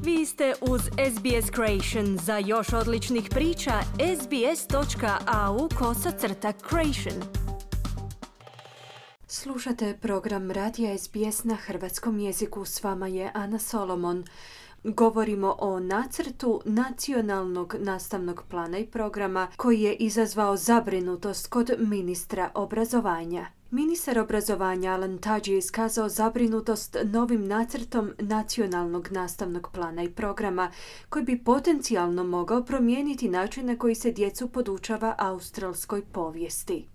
Vi ste uz SBS Creation. Za još odličnih priča, sbs.au/creation. Slušate program Radija SBS na hrvatskom jeziku. S vama je Ana Solomon. Govorimo o nacrtu nacionalnog nastavnog plana i programa koji je izazvao zabrinutost kod ministra obrazovanja. Ministar obrazovanja Alan Tudge je iskazao zabrinutost novim nacrtom nacionalnog nastavnog plana i programa koji bi potencijalno mogao promijeniti način na koji se djecu podučava australskoj povijesti.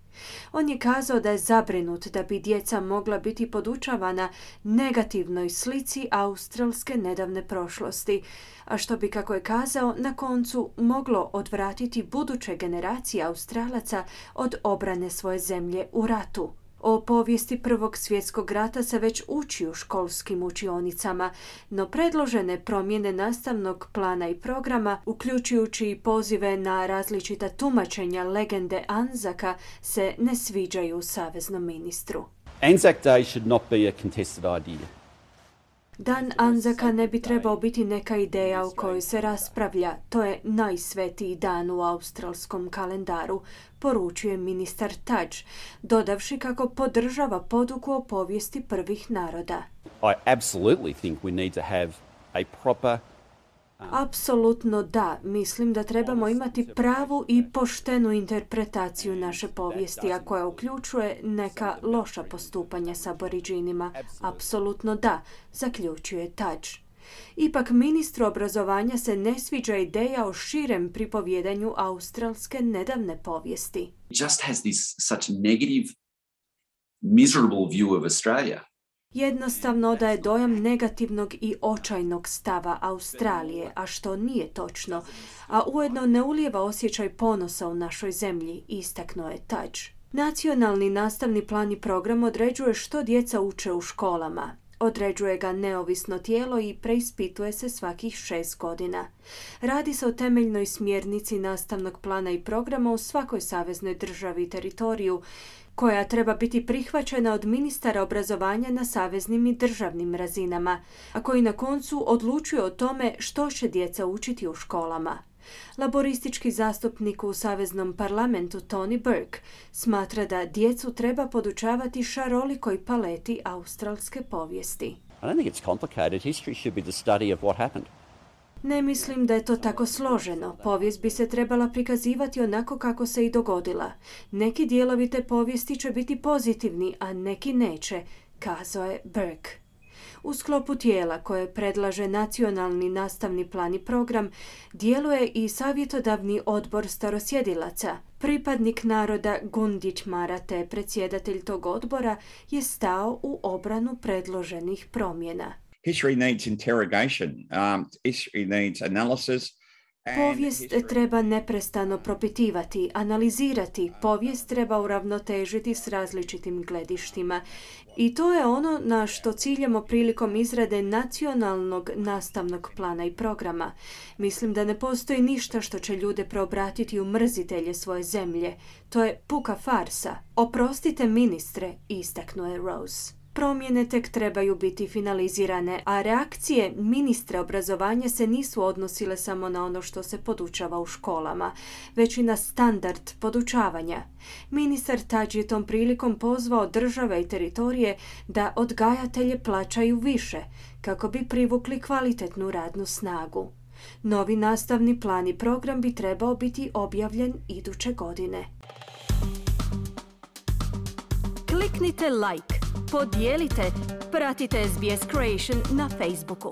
On je kazao da je zabrinut da bi djeca mogla biti podučavana negativnoj slici australske nedavne prošlosti, a što bi, kako je kazao, na koncu moglo odvratiti buduće generacije Australaca od obrane svoje zemlje u ratu. O povijesti Prvog svjetskog rata se već uči u školskim učionicama, no predložene promjene nastavnog plana i programa, uključujući i pozive na različita tumačenja legende Anzaka, se ne sviđaju saveznom ministru. Anzac Day should not be a contested idea. Dan Anzaka ne bi trebao biti neka ideja o kojoj se raspravlja. To je najsvetiji dan u australskom kalendaru, poručuje ministar Tudge, dodavši kako podržava poduku o povijesti prvih naroda. I absolutely think we need to have a proper Apsolutno da. Mislim da trebamo imati pravu i poštenu interpretaciju naše povijesti, a koja uključuje neka loša postupanja s aboriđinima. Apsolutno da, zaključuje Tudge. Ipak ministru obrazovanja se ne sviđa ideja o širem pripovjedanju australske nedavne povijesti. Just has this such negative, miserable view of Australia. Jednostavno daje dojam negativnog i očajnog stava Australije, a što nije točno, a ujedno ne ulijeva osjećaj ponosa u našoj zemlji, istaknuo je Tudge. Nacionalni nastavni plan i program određuje što djeca uče u školama. Određuje ga neovisno tijelo i preispituje se svakih 6 godina. Radi se o temeljnoj smjernici nastavnog plana i programa u svakoj saveznoj državi i teritoriju, koja treba biti prihvaćena od ministara obrazovanja na saveznim i državnim razinama, a koji na koncu odlučuje o tome što će djeca učiti u školama. Laboristički zastupnik u saveznom parlamentu Tony Burke smatra da djecu treba podučavati šarolikoj paleti australske povijesti. I don't think it's complicated. History should be the study of what happened. Ne mislim da je to tako složeno. Povijest bi se trebala prikazivati onako kako se i dogodila. Neki dijelovi te povijesti će biti pozitivni, a neki neće, kazao je Burke. U sklopu tijela koje predlaže nacionalni nastavni plan i program djeluje i savjetodavni odbor starosjedilaca. Pripadnik naroda Gundić Marate, predsjedatelj tog odbora, je stao u obranu predloženih promjena. History needs interrogation. History needs analysis. Povijest treba neprestano propitivati, analizirati. Povijest treba uravnotežiti s različitim gledištima. I to je ono na što ciljamo prilikom izrade nacionalnog nastavnog plana i programa. Mislim da ne postoji ništa što će ljude preobratiti u mrzitelje svoje zemlje. To je puka farsa. Oprostite, ministre, istaknuo je Rose. Promjene tek trebaju biti finalizirane, a reakcije ministra obrazovanja se nisu odnosile samo na ono što se podučava u školama, već i na standard podučavanja. Ministar Tudge je tom prilikom pozvao države i teritorije da odgajatelje plaćaju više, kako bi privukli kvalitetnu radnu snagu. Novi nastavni plan i program bi trebao biti objavljen iduće godine. Kliknite like, podijelite, pratite SBS Creation na Facebooku.